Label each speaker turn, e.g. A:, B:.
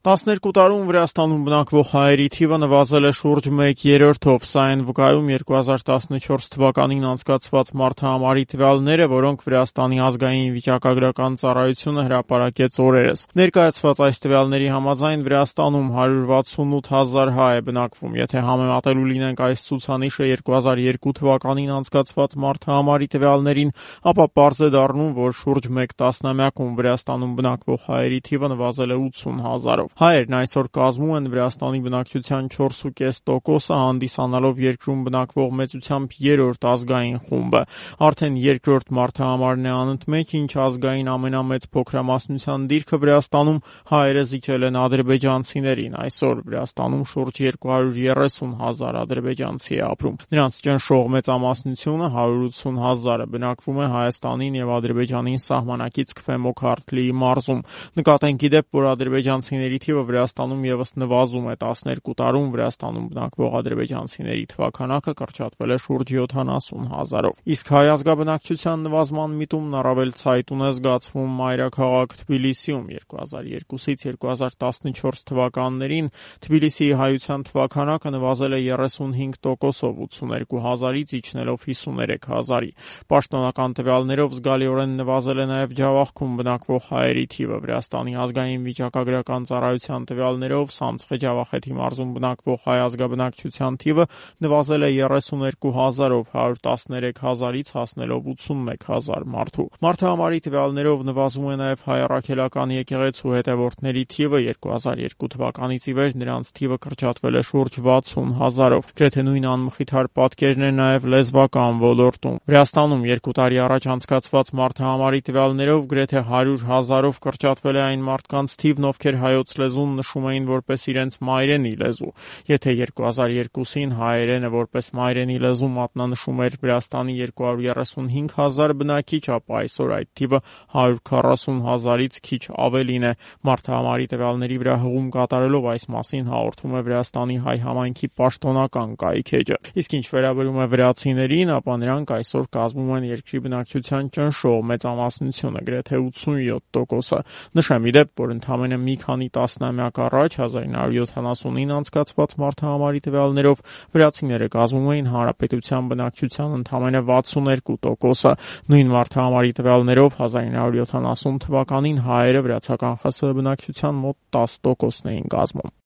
A: 12 տարում Վրաստանում բնակվող հայերի թիվը նվազել է շուրջ 1/3-ով, սա են վկայում 2014 թվականին անցկացված մարդահամարի տվյալները, որոնք Վրաստանի ազգային վիճակագրական ծառայությունը հրապարակեց օրերս։ Ներկայացված այս տվյալների համաձայն Վրաստանում 168 հազար հայ է բնակվում։ Եթե համեմատելու լինենք այս ցուցանիշը 2002 թվականին անցկացված մարդահամարի տվյալներին, ապա պարզ է դառնում, որ շուրջ մեկ տասնամյակում Վրաստանում բնակվող հայերի թիվը նվազել է 80 հազարով։ Հայերն այսօր կազմում են Վրաստանի բնակչության 4,5%-ը, հանդիսանալով երկրում բնակվող մեծությամբ երրորդ ազգային խումբը։ Արդեն երկրորդ մարդահամարն է անընդմեջ, ինչ ազգային ամենամեծ փոքրամասնության դիրքը Վրաստանում հայերը զիջել են ադրբեջանցիներին։ Այսօր Վրաստանում շուրջ 230 հազար ադրբեջանցի է ապրում։ Նրանց ճնշող մեծամասնությունը 180 հազարը բնակվում է Հայաստանին եւ Ադրբեջանին սահմանակից Քվեմոքարթլիի մարզում։ Նկատենք ի դեպ, որ ադրբեջանցիների թիվը Վրաստանում ևս նվազում է։ 12 տարում Վրաստանում բնակվող ադրբեջանցիների թվաքանակը կրճատվել է շուրջ 70 հազարով։ Իսկ հայ ազգաբնակչության նվազման միտումն առավել ցայտուն է զգացվում մայրաքաղաք Թբիլիսիում։ 2002-ից 2014 թվականներին Թբիլիսիի հայության թվաքանակը նվազել է 35%-ով 82 հազարից իջնելով 53 հազարի։ Պաշտոնական տվյալներով զգալիորեն նվազել է նաև Ջավախքում բնակվող հայերի թիվը։ Վրաստանի ազգային վիճակագրական ծառայության տվյալներով Սամցխե-Ջավախեթի մարզում բնակվող հայ ազգաբնակչության թիվը նվազել է 32 հազարով 113 հազարից հասնելով 81 հազար մարդու։ Մարդահամարի տվյալներով նվազում է նաև հայ առաքելական եկեղեցու հետևորդների թիվը։ 2002 թվականից ի վեր նրանց թիվը կրճատվել է շուրջ 60 հազարով։ Գրեթե նույն անմխիթար պատկերն է նաև լեզվական ոլորտում։ Վրաստանում 2 տարի առաջ անցկացված մարդահամարի տվյալներով գրեթե 100 հազարով կրճատվել է այն մարդկանց թիվն, ովքեր հայոց լեզուն նշում էին որպես իրենց մայրենի լեզու։ Եթե 2002-ին հայերենը որպես մայրենի լեզու մատնանշում էր Վրաստանի 235 հազար բնակիչ, ապա այսօր այդ թիվը 140 հազարից քիչ ավելին է։ Մարդահամարի տվյալների վրա հղում կատարելով այս մասին հաղորդում է Վրաստանի հայ համայնքի պաշտոնական կայքէջը։ Իսկ ինչ վերաբերում է վրացիներին, ապա նրանք այսօր կազմում են երկրի բնակչության ճնշող մեծամասնությունը, գրեթե 87%-ը։ Նշեմ ի դեպ, որ ընդամենը մի քանի տասնամյակ առաջ 1970-ին անցկացված մարդահամարի տվյալներով վրացիները կազմում էին հանրապետության բնակչության ընդամենը 62%-ը։ Նույն մարդահամարի տվյալներով 1970 թվականին հայերը վրացական ԽՍՀ բնակչության մոտ 10%-ն էին կազմում։